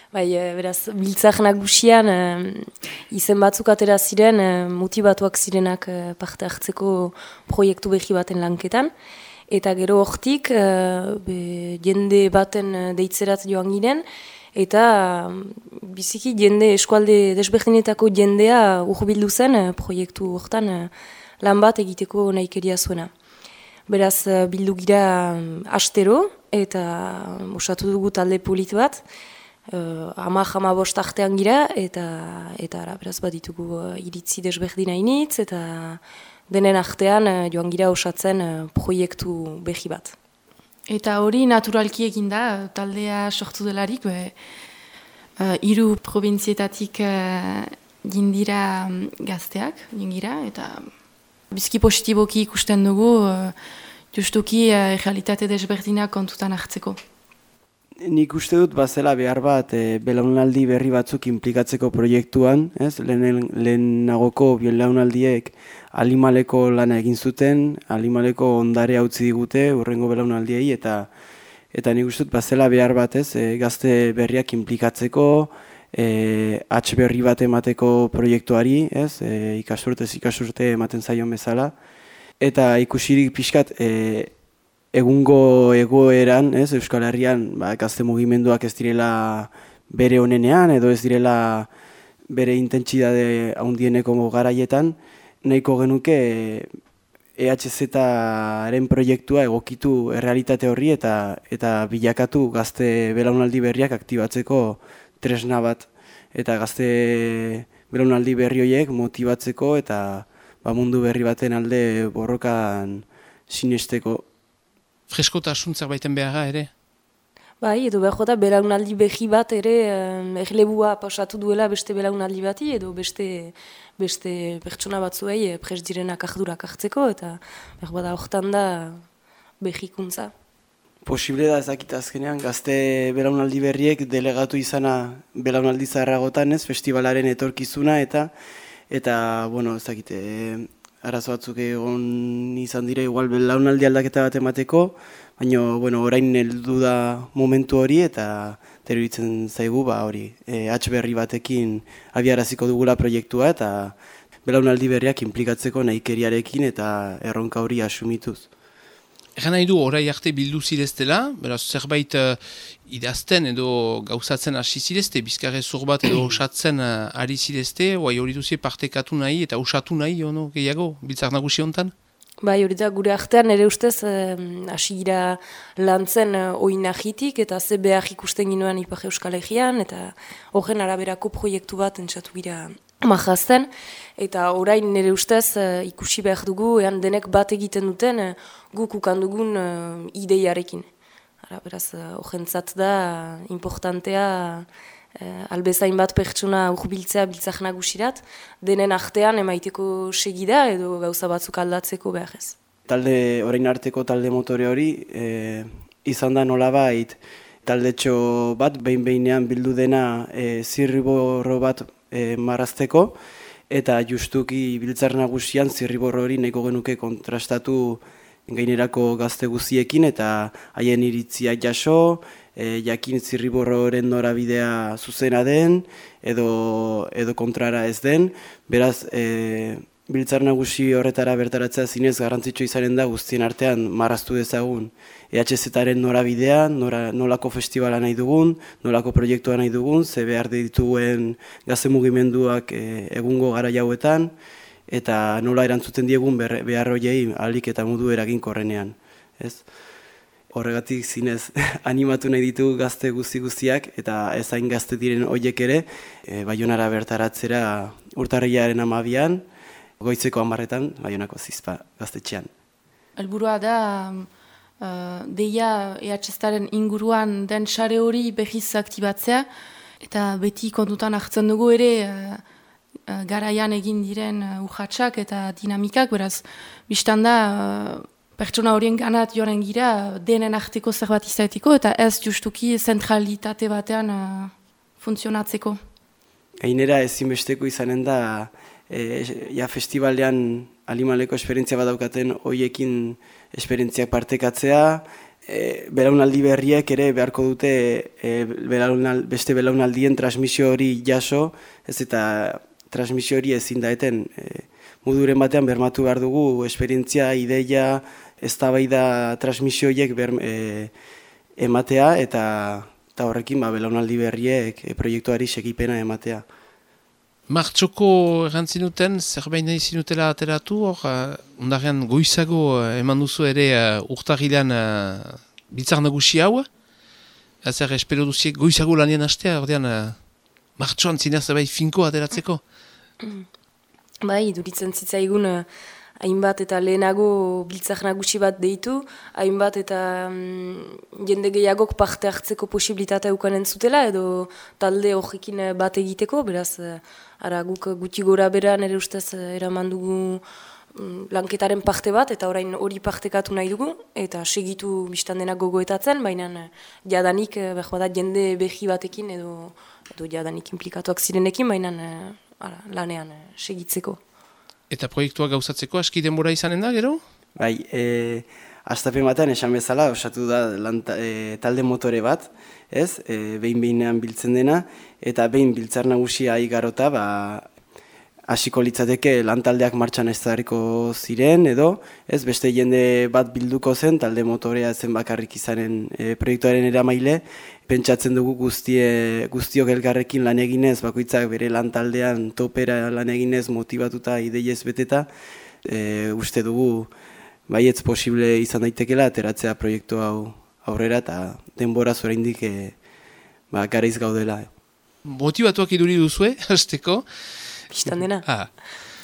Bai, beraz, biltzak nagusian izen batzuk atera ziren, motibatuak zirenak parte hartzeko proiektu behi baten lanketan. Eta gero hortik, jende baten deitzerat joan ginen, eta biziki jende eskualde desberdinetako jendea urbildu zen proiektu hortan lan bat egiteko nahikeria zuena. Beraz, bildu gira astero, eta osatu dugu talde polit bat, hama bost artean gira, eta beraz bat ditugu iritzi desberdina initz, eta denen artean joan gira osatzen proiektu behi bat. Eta hori naturalki egin da, taldea sortu delarik, 3 probintzietatik jindira gazteak, jingira, eta bizki positiboki ikusten dugu, justuki realitate desberdinak kontutan hartzeko. Nik uste dut bazela behar bat belaunaldi berri batzuk inplikatzeko proiektuan, ez? Lehenagoko belaunaldiek Alimaleko lana egin zuten, Alimaleko ondare utzi digute urrengo belaunaldiei, eta nik uste dut bazela behar bat, ez? Gazte berriak inplikatzeko, hatz berri bat emateko proiektuari, ez? Ikasturte ematen zaion bezala, eta ikusirik pixkat egungo egoeran, ez, Euskal Herrian, gazte mugimenduak ez direla bere onenean, edo ez direla bere intentsitate handieneko garaietan, nahiko genuke EHZ-aren proiektua egokitu errealitate horri eta bilakatu gazte belaunaldi berriak aktibatzeko tresna bat, eta gazte belaunaldi berri horiek motibatzeko eta mundu berri baten alde borrokan sinesteko. Freskotasun zerbaiten beharra ere? Bai, edo behar jota belaunaldi behi bat ere erlebua pasatu duela beste belaunaldi bati, edo beste pertsona batzuei prest direnak ardurak hartzeko, eta behar bada hortan da behikuntza. Posible da ezakit azkenean, gazte belaunaldi berriek delegatu izana belaunaldi zaharragotan, ez, festivalaren etorkizuna, eta bueno, ezakite, arazo batzuk egon izan dira, igual belaunaldi aldaketa bat emateko, baina bueno, orain heldu da momentu hori, eta iruditzen zaigu, hori, hatz berri batekin abiaraziko dugula proiektua, eta belaunaldi berriak inplikatzeko nahikeriarekin eta erronka hori asumituz. Egan nahi du, orai arte bildu zireztela, beraz zerbait idazten edo gauzatzen hasi zirezte, bizkarrezur bat edo osatzen ari zirezte, hori duzie partekatu nahi eta osatu nahi, gehiago, biltzak nagusi honetan? Bai, hori da, gure artean ere ustez hasi gira lantzen oinahitik eta ze behar ikusten ginoen Ipar Euskal Herrian, eta horren araberako proiektu bat entzatu gira majazten, eta orain nire ustez ikusi behar dugu, denek bat egiten duten guk ukandugun ideiarekin. Beraz, horrentzat da importantea albezain bat pertsona urbiltzea biltzak nagusirat, denen artean emaiteko segida edo gauza batzuk aldatzeko behar ez. Orain arteko talde motore hori izan da nolabait taldetxo bat, behin-behinean bildu dena zirriborro bat marrazteko, eta justuki biltzar nagusian zirriborro hori nahiko genuke kontrastatu gainerako gazte guziekin, eta haien iritziak jaso, jakin zirriborroren norabidea zuzena den, edo kontrara ez den, beraz, biltzar nagusi horretara bertaratzea zinez garrantzitsu izanen da guztien artean marraztu dezagun EHZ-aren norabidea, nolako festivala nahi dugun, nolako proiektua nahi dugun, ze behar dituen gazte mugimenduak egungo gara jauetan, eta nola erantzuten diegun behar horiei ahalik eta modu eraginkorrenean. Horregatik zinez animatu nahi ditu gazte guztiak, eta ezain gazte diren horiek ere, Baionara bertaratzera urtarrilaren 12an, goizeko 10etan, Baionako Zizpa gaztetxean. Helburua da, deia EHZ-aren inguruan den sare hori behiz aktibatzea, eta beti kontutan hartzen dugu ere garaian egin diren urratsak eta dinamikak, beraz, biztan da, pertsona horien ganat joaren gira denen arteko zerbait izateko, eta ez justuki zentralitate batean funtzionatzeko. Gainera ezinbesteko izanen da, festivalean Alimaleko esperientzia bat daukaten hoiekin esperientziak partekatzea, belaunaldi berriek ere beharko dute beste belaunaldien transmisio hori jaso, ez eta transmisio hori ezin daeten moduren batean bermatu behar dugu esperientzia, ideia, eztabaida transmisio horiek ematea eta horrekin belaunaldi berriek proiektuari segipena ematea. Martxoko errantzinuten, zerbait nahi zinutela ateratu, ondarean goizago eman duzu ere urtarrilan biltzar nagusi hau. Zer espero duziek goizago lanien hastea, ordean martxoan zinez zerbait finko ateratzeko? Bai, duritzen zitzaigun hainbat eta lehenago biltzar nagusi bat deitu, hainbat eta jende gehiagok parte hartzeko posibilitatea ukanen zutela, edo talde horrekin bat egiteko, beraz, guk guti gora bera nire ustez eraman dugu lanketaren parte bat, eta orain hori partekatu nahi dugu, eta segitu biztan denak gogoetatzen, baina jadanik, behar jende behi batekin, edo jadanik implikatuak zirenekin, baina lanean segitzeko. Eta proiektua gauzatzeko aski denbora izanen da, gero? Bai, astapen batean esan bezala, osatu da talde motore bat, ez? Behin-behinean biltzen dena, eta behin biltzar nagusia igarota, hasiko litzateke lantaldeak martxan ez dariko ziren, edo, ez? Beste jende bat bilduko zen, talde motorea zen bakarrik izanen proiektuaren eramaile, pentsatzen dugu guztiok elkarrekin lan eginez, bakoitzak bere lantaldean topera lan eginez, motivatuta, ideiez beteta, uste dugu baietz posible izan daitekela ateratzea proiektu hau aurrera eta denbora oraindik garaiz gaudela. Motivatuak iduri duzue, hasteko? Bistan dena.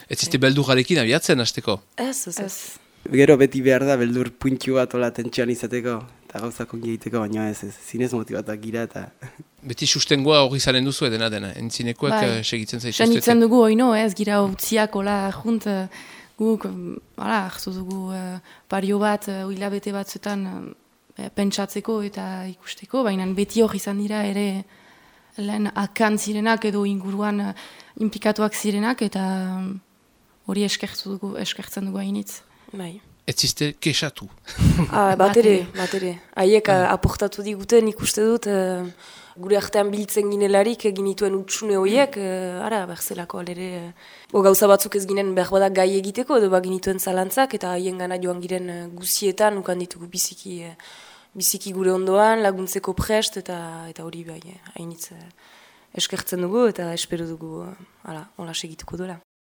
Ez ziste beldurrarekin abiatzen, hasteko? Ez. Gero beti behar da beldur puntxu bat ola tentsioan izateko. Eta gauzak ongi egiteko, baina ez, zinez motibatuak gira eta... Beti sustengoa hori zaren duzu dena, entzinekoak segitzen zaituzte. Segitzen dugu hori ez gira utziak hola junt, guk hartu dugu pario bat, hilabete batzuetan pentsatzeko eta ikusteko, baina beti hori izan dira ere lehen akan zirenak edo inguruan implikatuak zirenak eta hori eskertzen dugu hainitz. Bai. Ez ziste kesatu. Bat ere. Haiek aportatu diguten ikuste dut, gure artean biltzen ginelarik ginituen utxune horiek, berzelako alere. Gauza batzuk ez ginen behar badak gai egiteko, edo ginituen zalantzak, eta haien gana joan giren guzietan, ukan ditugu biziki gure ondoan, laguntzeko prest, eta hori bai, hainitz eskertzen dugu, eta espero dugu, hola segituko dola.